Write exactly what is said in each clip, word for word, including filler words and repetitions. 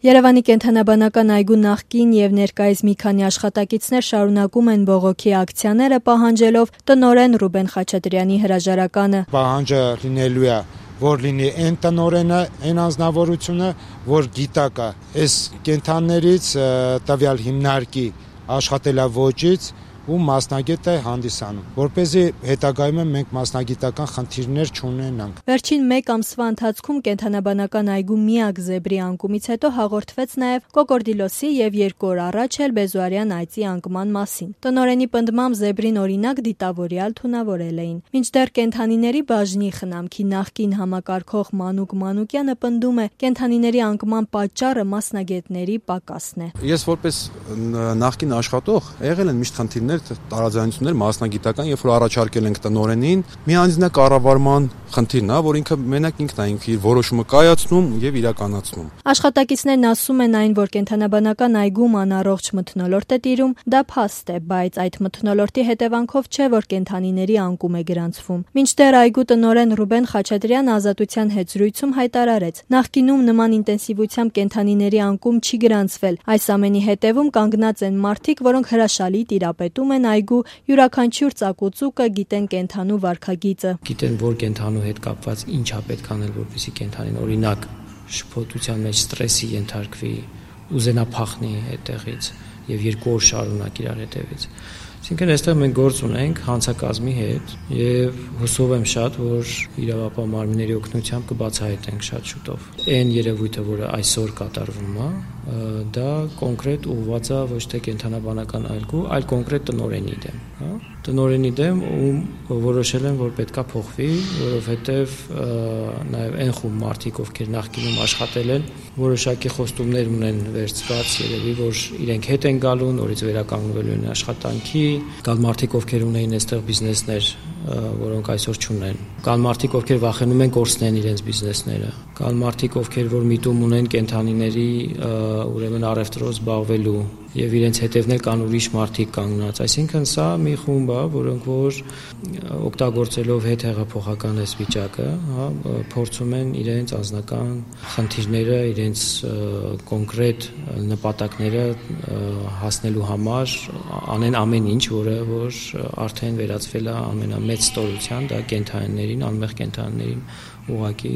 Երևանի կենդանաբանական այգու նախկին եւ ներկայիս մի քանի աշխատակիցներ շարունակում են բողոքի ակցիաները, պահանջելով տնօրեն Ռուբեն Խաչատրյանի հրաժարականը։ Պահանջը լինելու է, որ լինի այն տնօրենը, այն անձնավորությունը, որ գիտակա այս կենդաններից տվյալ հիմնարկի աշխատելավոճից ու մասնագետ է հանդիսանում, որպեսզի հետագայում մենք մասնագիտական խնդիրներ չունենանք։ Վերջին մեկ ամսվա ընթացքում կենդանաբանական այգու միակ զեբրի անկումից հետո հաղորդվեց նաև կոկորդիլոսի եւ երկու օր առաջ էլ բեզոարյան այծի անկման մասին։ Տնօրենի պնդմամբ զեբրին օրինակ դիտավորյալ թունավորել էին։ Մինչդեռ կենդանիների բաժնի խնամքի նախկին համակարգող Մանուկ Մանուկյանը պնդում է, կենդանիների անկման պատճառը մասնագետների պակասն է։ Ես որպես նախկին աշխատող եղել են միշտ խնդիրներ, տարաձայնություններ մասնագիտական, երբ որ առաջարկել ենք տնօրենին, մի անձնակառավարման խնդիրն է, որ ինքը մենակ ինքն է ինքը իր որոշումը կայացնում եւ իրականացնում։ Աշխատակիցներն ասում են այն, որ կենդանաբանական այգում անառողջ մթնոլորտ է տիրում, դա փաստ է, բայց այդ մթնոլորտի հետևանքով չէ, որ կենդանիների անկում է գրանցվում։ Մինչդեռ այգու տնօրեն Ռուբեն Խաչատրյանը Ազատության հետ զրույցում հայտարարեց, նախկինում նման ինտենսիվությամբ կենդանիների անկում չի գրանցվել։ Այս ամենի հետևում կանգնած են մարդիկ, որոնք հրաշալի տիրապետում են այգու յուրաքանչյուր ծակուցուկը, գիտեն կենդանու վարքագիծը։ Գիտեն, որ կենդանու հետ կապված ինչա պետք անել, որպեսզի կենդանին օրինակ շփոթության մեջ ստրեսի ենթարկվի, ուզենա փախնի այդտեղից եւ երկու օր շարունակ իրար հետևից։ Այսինքն այստեղ մենք գործ ունենք հանցակազմի հետ եւ հուսով եմ շատ, որ իրավապահ մարմինների օգնությամբ կբացահայտենք շատ շուտով։ Այն երևույթը, որը այսօր կատարվում է, դա կոնկրետ ուղղված է ոչ թե կենդանաբանական այգու, այլ կոնկրետ տնօրենի դեմ, հա։ Տնօրենի դեմ, ում որոշել են, որ պետքա փոխվի, որովհետեւ նաեւ այն խումբ մարդիկ, ովքեր նախկինում աշխատել են, որոշակի խոստումներ ունեն վերցված, երևի որ իրենք հետ են գալու, նորից վերականգնվելու են աշխատանքի, կան մարդիկ, ովքեր ունեին այստեղ բիզնեսներ, որոնք այսօր չունեն։ Կան մարդիկ, ովքեր վախենում են կորցնեն իրենց բիզնեսները։ Կան մարդիկ, ովքեր որ միտում ունեն կենդանիների ուրեմն առևտրով զբաղվելու եւ իրենց հետևներ կան ուրիշ մարդիկ կանգնած։ Այսինքն սա մի խումբ է, որոնք որ օգտագործելով հետ հեղափոխական այս վիճակը, հա, փորձում են իրենց անձնական խնդիրները, իրենց կոնկրետ նպատակները հասնելու համար անեն ամեն ինչ, որը որ արդեն վերածվել է ամենամեծ ստորության, դա կենդանիներին, անմեղ կենդանիներին ուղղակի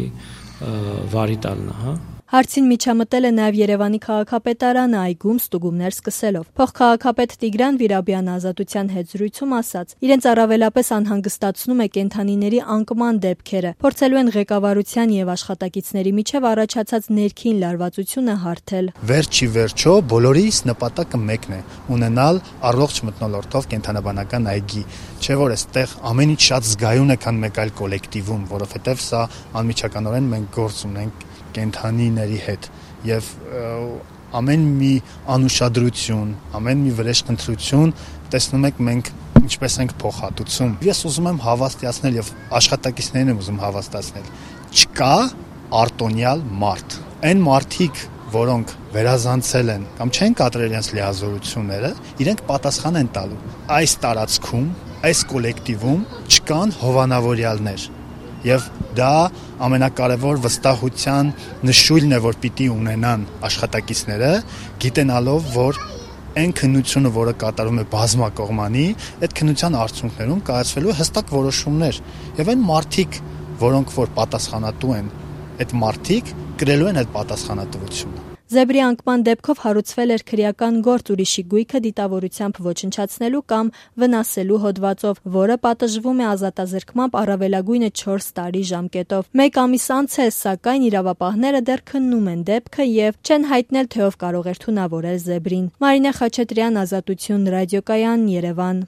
վարի տալն է, հա։ Հարցին միջամտել է նաև Երևանի քաղաքապետարանը այգում ստուգումներ սկսելով։ Փոխքաղաքապետ Տիգրան Վիրաբյանը Ազատության հետ զրույցում ասաց, իրենց առավելապես անհանգստացնում է կենդանիների անկման դեպքերը, փորձելու են ղեկավարության եւ աշխատակիցների միջև առաջացած ներքին լարվածությունը հարթել։ Վերջի վերջո բոլորիս նպատակը մեկն է՝ ունենալ առողջ մթնոլորտով կենդանաբանական այգի, չէ՞ որ այստեղ ամեն ինչ շատ զգայուն է, քան մեկ այլ կոլեկտիվում, որովհետեւ սա անմիջականորեն մենք գործ ունենք կենդանիների հետ եւ ամեն մի անուշադրություն, ամեն մի վրեժխնդրություն տեսնում եք մենք ինչպես ենք փոխհատուցում։ Ես ուզում եմ հավաստիացնել եւ աշխատակիցներին եմ ուզում հավաստիացնել։ Չկա արտոնյալ մարդ։ Այն մարդիկ, որոնք վերազանցել են կամ չեն կատարել իրենց լիազորությունները, իրենք պատասխան են տալու։ Այս տարածքում, այս կոլեկտիվում չկան հովանավորյալներ։ Եվ դա ամենակարևոր վստահության նշույլն է, որ պիտի ունենան աշխատակիցները, գիտենալով, որ այն քննությունը, որը կատարում է բազմակողմանի, այդ քննության արդյունքներում կայացվելու հստակ որոշումներ, եւ այն մարդիկ, որոնք որ պատասխանատու են, այդ մարդիկ կրելու են այդ պատասխանատվությունը։ Զեբրի անկման դեպքով հարուցվել էր քրեական գործ ուրիշի գույքը դիտավորությամբ ոչնչացնելու կամ վնասելու հոդվածով, որը պատժվում է ազատազրկմամբ առավելագույնը չորս տարի ժամկետով։ Մեկ ամիս անց է, սակայն իրավապահները դեռ քննում են դեպքը եւ չեն հայտնել, թե ով կարող էր թունավորել Զեբրին։ Մարինե Խաչատրյան, Ազատություն, ռադիոկայան, Երևան։